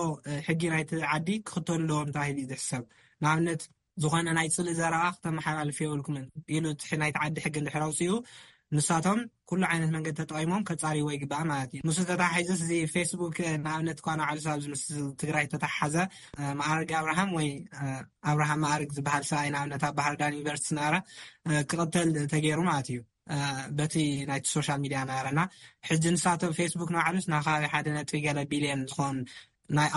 ሕጊ ናይቲ ዓዲ ክኽተሉ ኣለዎም ተባሂሉ እዩ ዝሕሰብ። ንኣብነት ዝኾነ ናይ ፅልኢ ዘረባ ክተመሓላልፉ የብልኩምን ኢሉ እቲ ናይቲ ዓዲ ሕጊ እንድሕር ኣውፅኡ ንሳቶም ኩሉ ዓይነት መንገዲ ተጠቒሞም ከጻርይዎ ይግባእ ማለት እዩ። ምስ ተታሒዙ እዚ ፌስቡክ ንኣብነት እኳ ንባዕሉ ኣብዚ ምስ ትግራይ ተተሓዘ፣ ማዕረግ ኣብርሃም ወይ ኣብርሃም ማዕረግ ዝበሃል ሰብኣይ ንኣብነት ኣብ ባህር ዳር ዩኒቨርሲቲ ዝነበረ ክቕተል ተገይሩ ማለት እዩ። በቲ ናይቲ ሶሻል ሚድያ ነበረና። ሕጂ ንሳቶም ፌስቡክ ንባዕሉስ ናብ ከባቢ ሓደ ነጥቢ ገለ ቢልዮን ዝኾን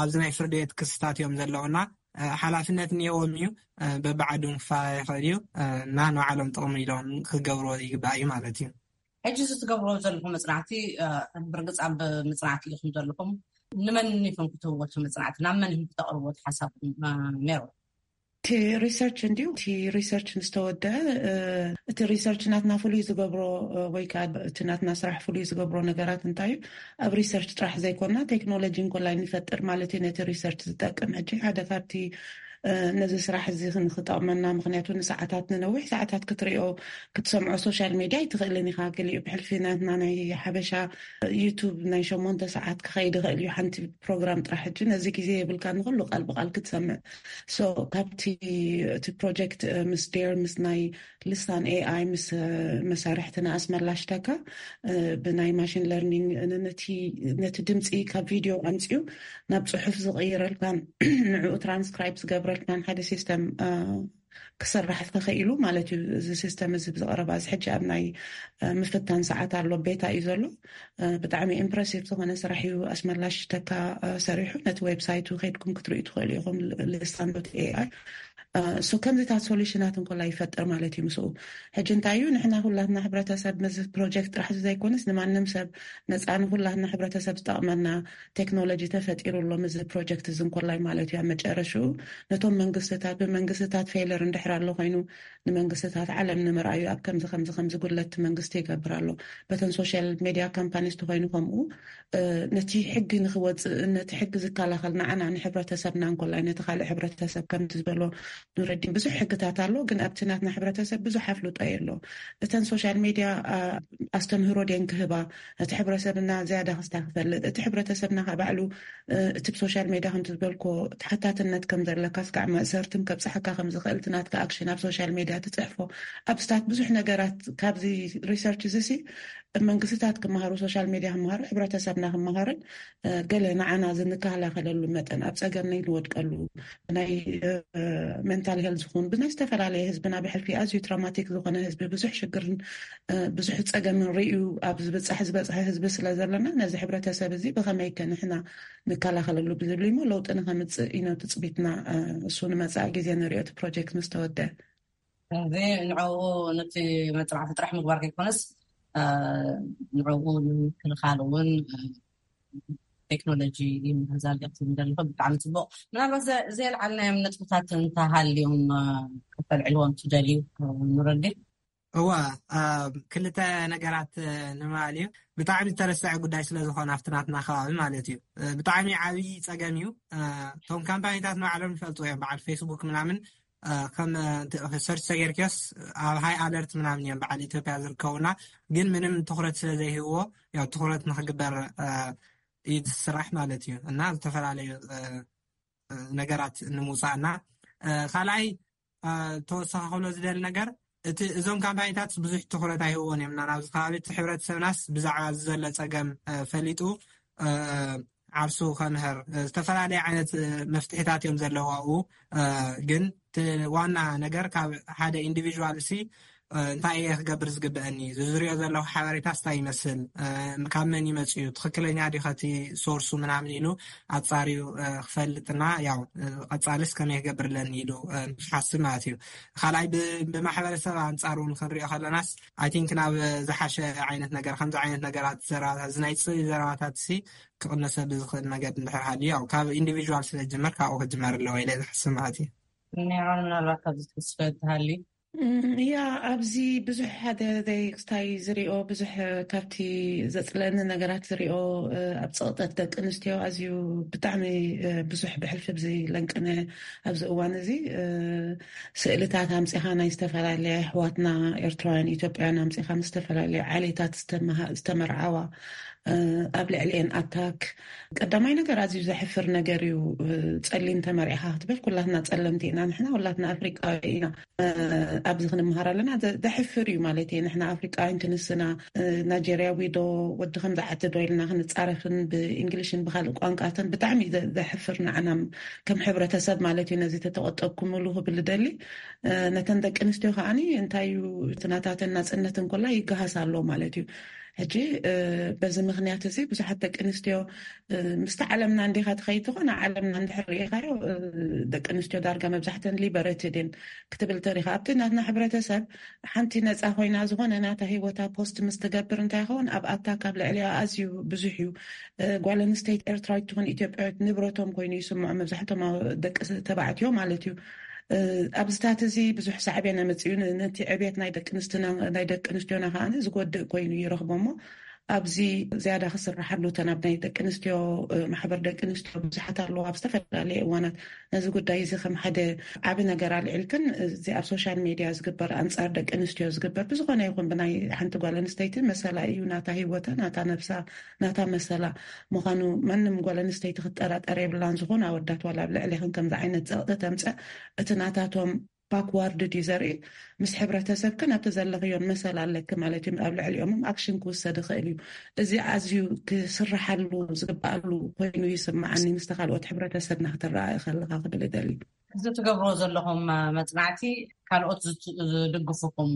ኣብዚ ናይ ፍርዲ ቤት ክስታት እዮም ዘለውና። ሓላፍነት እኒአዎም እዩ። በብዓዱ ክፈላለ ይኽእል እዩ። እና ንባዕሎም ጥቕሚ ኢሎም ክገብርዎ ይግባእ እዩ ማለት እዩ። ሕጂ እዚ ትገብርዎ ዘለኹም መፅናዕቲ፣ ብርግፅ ኣብ መፅናዕቲ ኢኹም ዘለኹም። ንመን ኢኹም ክትህብዎ እቲ መፅናዕቲ? ናብ መን ኢኹም ክተቕርብዎ ሓሳብኩም ነይሩ? እቲ ሪሰርች እንዲዩ። እቲ ሪሰርች ምስ ተወደአ፣ እቲ ሪሰርች ናትና ፍሉይ ዝገብሮ ወይ ከዓ እቲ ናትና ስራሕ ፍሉይ ዝገብሮ ነገራት እንታይ እዩ? ኣብ ሪሰርች ጥራሕ ዘይኮና ቴክኖሎጂ እንኮላይ ንፈጥር ማለት እዩ ነቲ ሪሰርች ዝጠቅም። ሕጂ ሓደ ካብቲ ነዚ ስራሕ እዚ ንክጠቕመና፣ ምክንያቱ ንሰዓታት ንነዊሕ ሰዓታት ክትሪኦ ክትሰምዖ ሶሻል ሚድያ ኣይትኽእልን ኢኻ። ገሊኡ ብሕልፊ ናትና ናይ ሓበሻ ዩቱብ ናይ ሸሞንተ ሰዓት ክኸይድ ይኽእል እዩ ሓንቲ ፕሮግራም ጥራሕ። ሕጂ ነዚ ግዜ የብልካ ንኩሉ ቃል ብቃል ክትሰምዕ። ሶ ካብቲ እቲ ፕሮጀክት ምስ ዴር ምስ ናይ ልሳን ኤኣይ ምስ መሳርሕትና ኣስመላሽተካ ብናይ ማሽን ለርኒንግ ነቲ ድምፂ ካብ ቪድዮ ኣምፅኡ ናብ ፅሑፍ ዝቕይረልካን ንዕኡ ትራንስክራይብ ዝገብረልካን ሓደ ሲስተም ክስራሕ ተኸኢሉ ማለት እዩ። እዚ ሲስተም እዚ ብዝቐረባ እዚ ሕጂ ኣብ ናይ ምፍታን ሰዓት ኣሎ፣ ቤታ እዩ ዘሎ። ብጣዕሚ ኢምፕረሲቭ ዝኾነ ስራሕ እዩ ኣስመላሽ ተካ ሰሪሑ። ነቲ ዌብሳይቱ ከይድኩም ክትርእዩ ትኽእሉ ኢኹም። ልሳን ዶት ኤኣይ ሶ ከምዚታት ሶሉሽናት እንኮላ ይፈጥር ማለት እዩ። ምስኡ ሕጂ እንታይ እዩ ንሕና ኩላትና ሕብረተሰብ ምዚ ፕሮጀክት ጥራሕ ዘይኮነስ ንማንም ሰብ ነፃ ንኩላትና ሕብረተሰብ ዝጠቕመና ቴክኖሎጂ ተፈጢሩ ኣሎ ምዚ ፕሮጀክት እዚ እንኮላይ ማለት እዩ። ኣብ መጨረሽኡ ነቶም መንግስትታት ብመንግስትታት ፌለር እንድሕር ኣሎ ኮይኑ ንመንግስትታት ዓለም ንምርኣዩ ኣብ ከምዚ ከምዚ ከምዚ ጉድለት መንግስቲ ይገብር ኣሎ። በተን ሶሻል ሜድያ ካምፓኒስ ተኮይኑ ከምኡ ነቲ ሕጊ ንክወፅእ ነቲ ሕጊ ዝከላኸል ንዓና ንሕብረተሰብና እንኮላይ ነቲ ካልእ ሕብረተሰብ ከምቲ ዝበሎ ኑረዲን ብዙሕ ሕግታት ኣሎ። ግን ኣብቲ ናትና ሕብረተሰብ ብዙሕ ኣፍልጦ የሎ። እተን ሶሻል ሜድያ ኣስተምህሮ ድየን ክህባ እቲ ሕብረተሰብና ዝያዳ ክስታ ክፈልጥ እቲ ሕብረተሰብና ከዓ ባዕሉ እቲ ብሶሻል ሜድያ ከምቲ ዝበልኮ ተሓታትነት ከም ዘለካ ስካዕ መእሰርትን ከብፅሓካ ከም ዝኽእል እቲ ናትካ ኣክሽን ኣብ ሶሻል ሜድያ ትፅሕፎ ኣብ ስታት ብዙሕ ነገራት ካብዚ ሪሰርች እዚ ሲ መንግስትታት ክመሃሩ ሶሻል ሜድያ ክመሃሩ ሕብረተሰብና ክመሃርን ገለ ንዓና ዝንከላኸለሉ መጠን ኣብ ፀገም ናይ ንወድቀሉ ናይ ሜንታል ሄልዝ ዝኹን ብናይ ዝተፈላለየ ህዝብና ብሕልፊ ኣዝዩ ትራማቲክ ዝኾነ ህዝቢ ብዙሕ ሽግርን ብዙሕ ፀገምን ርእዩ ኣብ ዝበፃሕ ዝበፅሐ ህዝቢ ስለ ዘለና ነዚ ሕብረተሰብ እዚ ብኸመይ ከ ንሕና ንከላኸለሉ ብዝብል እሞ ለውጢ ንኸምፅእ ኢኖ ትፅቢትና። እሱ ንመፃኢ ግዜ ንሪኦ እቲ ፕሮጀክት ምስ ተወደ እዚ ንዕኡ ነቲ መፅናዕቲ ጥራሕ ምግባር ከይኮነስ ንዕኡ ንምክልኻል እውን ቴክኖሎጂ ይምህዛል ኢኹም ዘለኹም። ብጣዕሚ ፅቡቕ። ምናልባት ዘየልዓልናዮም ነጥብታት እንተሃልዮም ከተልዕልዎም ትደልዩ? ንረዲ እዋ ክልተ ነገራት ንምባል እዩ። ብጣዕሚ ዝተረስዐ ጉዳይ ስለዝኾነ ኣብቲ ናትና ከባቢ ማለት እዩ። ብጣዕሚ ዓብዪ ፀገም እዩ። እቶም ካምፓኒታት ንባዕሎም ይፈልጡ እዮም። በዓል ፌስቡክ ምናምን ከም ሰርች ተገይርክዮስ ኣብ ሃይ ኣለርት ምናምን እዮም በዓል ኢትዮጵያ ዝርከቡና። ግን ምንም ትኩረት ስለዘይህብዎ ያው ትኩረት ንክግበር እዩ ዝስራሕ ማለት እዩ። እና ዝተፈላለዩ ነገራት ንምውፃእና ካልኣይ ተወሳኺ ክብሎ ዝደሊ ነገር እቲ እዞም ካምፓኒታት ብዙሕ ትኩረት ኣይህብዎን እዮም። ናብዚ ከባቢ እቲ ሕብረተሰብናስ ብዛዕባ እዚ ዘሎ ፀገም ፈሊጡ ዓርሱ ከምህር ዝተፈላለየ ዓይነት መፍትሒታት እዮም ዘለዋኡ። ግን ዋና ነገር ካብ ሓደ ኢንዲቪዥዋል ሲ እንታይ እየ ክገብር ዝግበአኒ፣ ዝዝሪኦ ዘለኹ ሓበሬታስ እንታይ ይመስል፣ ካብ መን ይመፅእ እዩ፣ ትኽክለኛ ድዩ ከቲ ሶርሱ ምናምን ኢሉ ኣፃርዩ ክፈልጥና ያው ቀፃልስ ከመይ ክገብር ኣለኒ ኢሉ ንክሓስብ ማለት እዩ። ካልኣይ ብማሕበረሰብ ኣንፃር እውን ክንሪኦ ከለናስ ኣይ ቲንክ ናብ ዝሓሸ ዓይነት ነገር ከምዚ ዓይነት ነገራት ዘረባታት እዚ ናይ ፅልኢ ዘረባታት ሲ ክቕነሰሉ ዝኽእል ነገር እንድሕር ሃልዩ ያው ካብ ኢንዲቪዥዋል ስለ ዝጅመር ካብኡ ክጅመር ኣለዎ ኢለ ዝሓስብ ማለት እዩ። ኔሮን ምናልባት ካብዚ ትወስዶ ትሃሊ ያ ኣብዚ ብዙሕ ሓደ ዘይክስታይ ዝሪኦ ብዙሕ ካብቲ ዘፅለኒ ነገራት ዝሪኦ ኣብ ፀቕጠት ደቂ ኣንስትዮ ኣዝዩ ብጣዕሚ ብዙሕ ብሕልፊ ብዚ ለንቅነ ኣብዚ እዋን እዚ ስእልታት ኣምፂኻ ናይ ዝተፈላለያ ኣሕዋትና ኤርትራውያን ኢትዮጵያን ኣምፂኻ ምስ ዝተፈላለያ ዓሌታት ዝተመርዓዋ ኣብ ልዕሊኤን ኣታክ። ቀዳማይ ነገር ኣዝዩ ዘሕፍር ነገር እዩ። ጸሊም ተመሪዕኻ ክትብል፣ ኩላትና ጸለምቲ ኢና፣ ንሕና ኩላትና ኣፍሪቃዊ ኢና። ኣብዚ ክንምሃር ኣለና። ዘሕፍር እዩ ማለት እዩ። ንሕና ኣፍሪቃውያን ክንስና፣ ናይጀርያዊ ዶ ወዲ ከም ዝዓቲ ዶ ኢልና ክንጻረፍን ብእንግሊሽን ብካልእ ቋንቋትን ብጣዕሚ ዘሕፍር፣ ንዓና ከም ሕብረተሰብ ማለት እዩ። ነዚ ተተቆጠብኩምሉ ክብል ደሊ። ነተን ደቂ ኣንስትዮ ከዓኒ እንታይ እዩ፣ ትናታተን ናጽነትን ኮላ ይገሃስ ኣሎ ማለት እዩ። ሕጂ በዚ ምክንያት እዚ ብዙሓት ደቂ ኣንስትዮ፣ ምስቲ ዓለምና እንዲኻ ትኸይድ ዝኾነ ዓለምና እንድሕር ርኢኻዮ፣ ደቂ ኣንስትዮ ዳርጋ መብዛሕተን ሊበረትድ እየን ክትብል ተሪኻ። ኣብቲ ናትና ሕብረተሰብ ሓንቲ ነፃ ኮይና ዝኾነ ናታ ህይወታ ፖስት ምስ ትገብር እንታይ ይኸውን፣ ኣብ ኣታክ ኣብ ልዕሊኣ ኣዝዩ ብዙሕ እዩ። ጓል ኣንስተይቲ ኤርትራዊት ትኹን ኢትዮጵያዊት ንብረቶም ኮይኑ ይስምዖ። መብዛሕቶም ደቂ ተባዕትዮ ማለት እዩ። ኣብዚታት እዚ ብዙሕ ሳዕቤን ኣመፅኡ። ነቲ ዕቤት ናይ ደቂ ኣንስትና፣ ናይ ደቂ ኣንስትዮና ከዓኒ ዝጎድእ ኮይኑ ይረኽቦ። እሞ ኣብዚ ዝያዳ ክስርሓሉ፣ እተን ኣብ ናይ ደቂ ኣንስትዮ፣ ማሕበር ደቂ ኣንስትዮ ብዙሓት ኣለዎ። ኣብ ዝተፈላለየ እዋናት ነዚ ጉዳይ እዚ ከም ሓደ ዓቢ ነገር ኣልዒልክን፣ እዚ ኣብ ሶሻል ሜድያ ዝግበር፣ ኣንጻር ደቂ ኣንስትዮ ዝግበር፣ ብዝኾነ ይኹን ብናይ ሓንቲ ጓል ኣንስተይቲ መሰላ እዩ። ናታ ህይወታ፣ ናታ ነብሳ፣ ናታ መሰላ ምዃኑ ማንም ጓል ኣንስተይቲ ክትጠራጠር የብላን። ዝኾነ ኣወዳት ዋላ ኣብ ልዕሊኽን ከምዚ ዓይነት ጸቕጢ ተምጸእ፣ እቲ ናታቶም ባክዋርድ ድዩ ዘርኢ? ምስ ሕብረተሰብክን ኣብቲ ዘለኽዮን መሰል ኣለኪ ማለት እዩ። ኣብ ልዕሊኦምም ኣክሽን ክውሰድ ይኽእል እዩ። እዚ ኣዝዩ ክስርሓሉ ዝግበኣሉ ኮይኑ ይስምዓኒ፣ ምስቲ ካልኦት ሕብረተሰብና ክትረኣኢ ከለኻ ክብል እደሊ። እዚ ትገብርዎ ዘለኹም መጽናዕቲ ካልኦት ዝት-፣ ዝድግፉኹም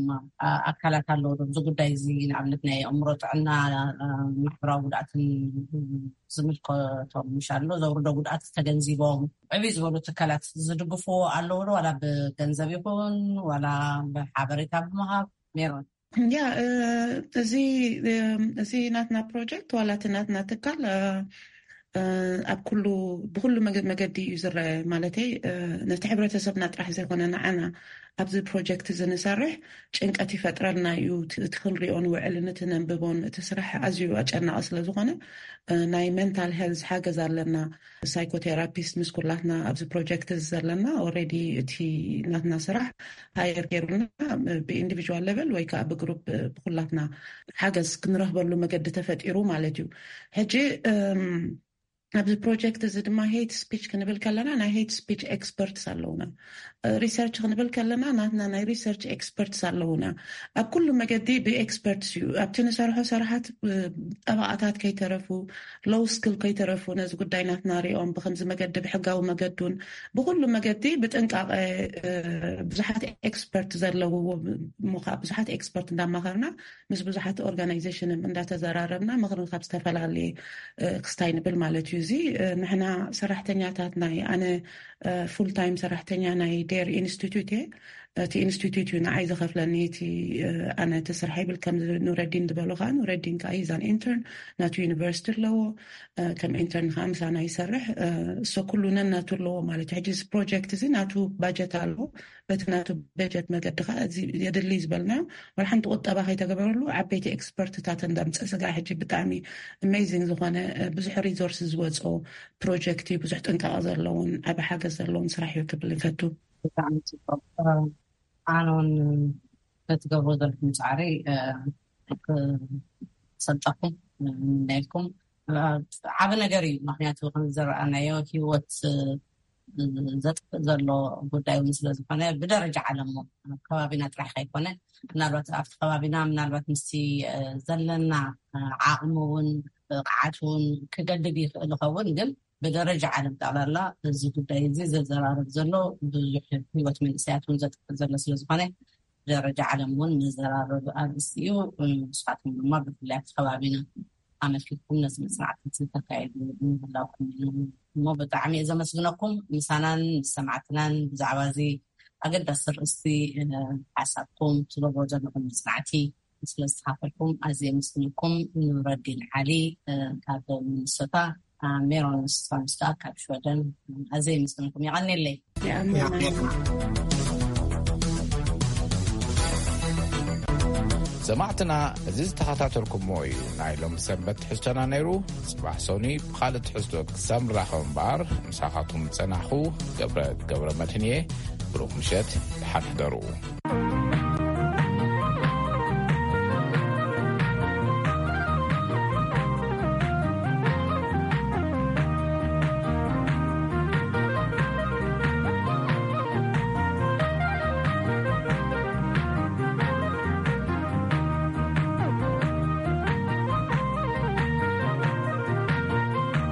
ኣካላት ኣለዉ ዶ? እዚ ጉዳይ እዚ ንኣብነት ናይ ኣእምሮ ጥዕና፣ ማሕበራዊ ጉድኣትን ዝምልከቶም ምሽ ኣሎ፣ ዘውርዶ ጉድኣት ተገንዚቦም ዕብይ ዝበሉ ትካላት ዝድግፍዎ ኣለዉ ዶ? ዋላ ብገንዘብ ይኹን ዋላ ብሓበሬታ ብምሃብ? ሜሮን። ያ፣ እ፣ እዚ፣ እ፣ እዚ ናትና ፕሮጀክት ዋላ እቲ ናትና ትካል፣ እ፣ እ፣ ኣብ ኩሉ፣ ብኩሉ መገ-፣ መገዲ እዩ ዝረአ። ማለተይ፣ እ፣ ነቲ ሕብረተሰብና ጥራሕ ዘይኮነ ንዓና ኣብዚ ፕሮጀክት እዚ ንሰርሕ ጭንቀት ይፈጥረልና እዩ። እቲ፣ እቲ ክንሪኦ ንውዕልን እቲ ነንብቦን እቲ ስራሕ ኣዝዩ ኣጨናቒ ስለ ዝኾነ፣ እ፣ ናይ ሜንታል ሄልዝ ሓገዝ ኣለና። ሳይኮቴራፒስት ምስ ኩላትና ኣብዚ ፕሮጀክት እዚ ዘለና፣ ኦልሬዲ እቲ ናትና ስራሕ ሃየር ገይሩና፣ ብኢንዲቪጁዋል ሌቨል ወይ ከዓ ብግሩፕ ብኩላትና ሓገዝ ክንረኽበሉ መገዲ ተፈጢሩ ማለት እዩ። ሕጂ፣ እም፣ ኣብዚ ፕሮጀክት እዚ ድማ ሄት ስፒች ክንብል ከለና ናይ ሄት ስፒች ኤክስፐርትስ ኣለውና። ሪሰርች ክንብል ከለና ናትና ናይ ሪሰርች ኤክስፐርትስ ኣለውና። ኣብ ኩሉ መገዲ ብኤክስፐርትስ እዩ። ኣብቲ ንሰርሖ ስራሓት፣ እ፣ ጠበቓታት ከይተረፉ፣ ሎው ስክል ከይተረፉ ነዚ ጉዳይ ናትና ሪኦም ብከምዚ መገዲ ብሕጋዊ መገዱን ብኩሉ መገዲ ብጥንቃቐ፣ እ፣ ብዙሓት ኤክስፐርት ዘለውዎ ምዃ-፣ ብዙሓት ኤክስፐርት እንዳማኸርና ምስ ብዙሓት ኦርጋናይዜሽን እንዳተዘራረብና ምኽሪ ካብ ዝተፈላለየ፣ እ፣ ክስታይ ንብል ማለት እዩ። እዚ፣ እ፣ ንሕና ሰራሕተኛታት ናይ ኣነ፣ እ፣ ፉል ታይም ሰራሕተኛ ናይ ዴር ኢንስቲትዩት እየ። እቲ ኢንስቲትዩት እዩ ንዓይ ዝኸፍለኒ። እቲ፣ እ፣ ኣነ እቲ ስራሕ ይብል ከም ኑረዲን ዝበሎ ከዓ፣ ኑረዲን ከዓ ሂዛን ኢንተርን ናቱ ዩኒቨርሲቲ ኣለዎ። እ፣ ከም ኢንተርን ከዓ ምሳና ይሰርሕ። እ፣ እሶ ኩሉ ነናቱ ኣለዎ ማለት እዩ። ሕጂ እዚ ፕሮጀክት እዚ ናቱ ባጀት ኣለዎ። በቲ ናቱ በጀት መገዲ ከዓ እዚ የድሊ ዝበልናዮ ዋላ ሓንቲ ቁጠባ ከይተገበረሉ ዓበይቲ ኤክስፐርትታት እንዳምፀ ስጋ ሕጂ ብጣዕሚ ኣሜዚንግ ዝኾነ፣ እ፣ ብዙሕ ሪሶርስ ዝወፅኦ ፕሮጀክት እዩ። ብዙሕ ጥንቃቐ ዘለዎን ዓቢ ሓገዝ ዘለዎን ስራሕ እዩ ክብል ይፈቱ። ብጣዕሚ ጽቡቕ። ኣነ እውን በትገብሮ ዘለኹም ጻዕሪ፣ እ፣ ክሰልጠኩም፣ እ፣ ንለኩም። እ፣ ዓቢ ነገር እዩ። ምኽንያቱ ከም ዝረኣናዮ ህይወት፣ እ፣ ዘጥፍእ ዘሎ ጉዳይ እውን ስለ ዝኾነ ብደረጃ ዓለም እውን ኣብ ከባቢና ጥራሕ ከይኮነ ምናልባት ኣብቲ ከባቢና ምናልባት ምስቲ፣ እ፣ ዘለና፣ እ፣ ዓቕሚ እውን ብቕዓት እውን ክገድድ ይኽእል ይኸውን፣ ግን ብደረጃ ዓለም ጠቕላላ እዚ ጉዳይ እዚ ዘዘራርብ ዘሎ ብዙሕ ህይወት መንእሰያት እውን ዘጥፍእ ዘሎ ስለ ዝኾነ ብደረጃ ዓለም እውን መዘራረቢ ኣርእስቲ እዩ። ንስኻትኩም ድማ ብፍላይ ኣብቲ ከባቢና ኣመልኪትኩም ነዚ መጽናዕቲ እዚ ተካይዱ ምህላውኩም እዩ። እሞ ብጣዕሚ እየ ዘመስግነኩም። ምሳናን ምስ ሰማዕትናን ብዛዕባ እዚ ኣገዳሲ ርእስቲ፣ እ፣ ሓሳብኩም ትገብሮ ዘለኹም መጽናዕቲ ስለ ዝተኻፈልኩም ኣዝየ የመስግነኩም። ኑረዲን ዓሊ፣ እ፣ ካብ ሚኒሶታ፣ እ፣ ሜሮን ስቶንስ ከዓ ካብ ሽወደን፣ እ፣ ኣዝየ የመስግነኩም። የቐንየለይ። ሰማዕትና፣ እዚ ዝተኸታተልኩሞ እዩ ናይ ሎም ሰንበት ትሕዝቶና ነይሩ። ጽባሕ ሶኒ ብኻልእ ትሕዝቶ ክሳብ ንራኸብ እምበኣር፣ ምሳኻትኩም ዝጸናሕኩ ገብረ፣ ገብረ መድህን እየ። ብሩኽ ምሸት፣ ደሓን ሕደሩ።